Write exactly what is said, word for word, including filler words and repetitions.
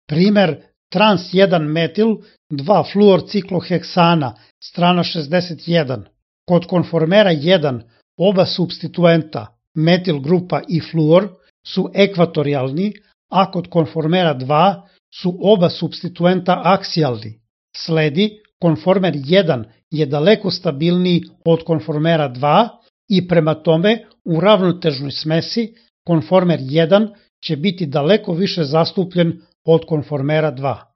Primer trans jedan metil dva fluorcikloheksana, strana šezdeset jedan. Kod konformera jedan oba supstituenta, metil grupa i fluor, su ekvatorijalni, a kod konformera dva su oba supstituenta aksijalni. Sledi, konformer jedan je daleko stabilniji od konformera dva i prema tome u ravnotežnoj smesi konformer jedan će biti daleko više zastupljen od konformera dva.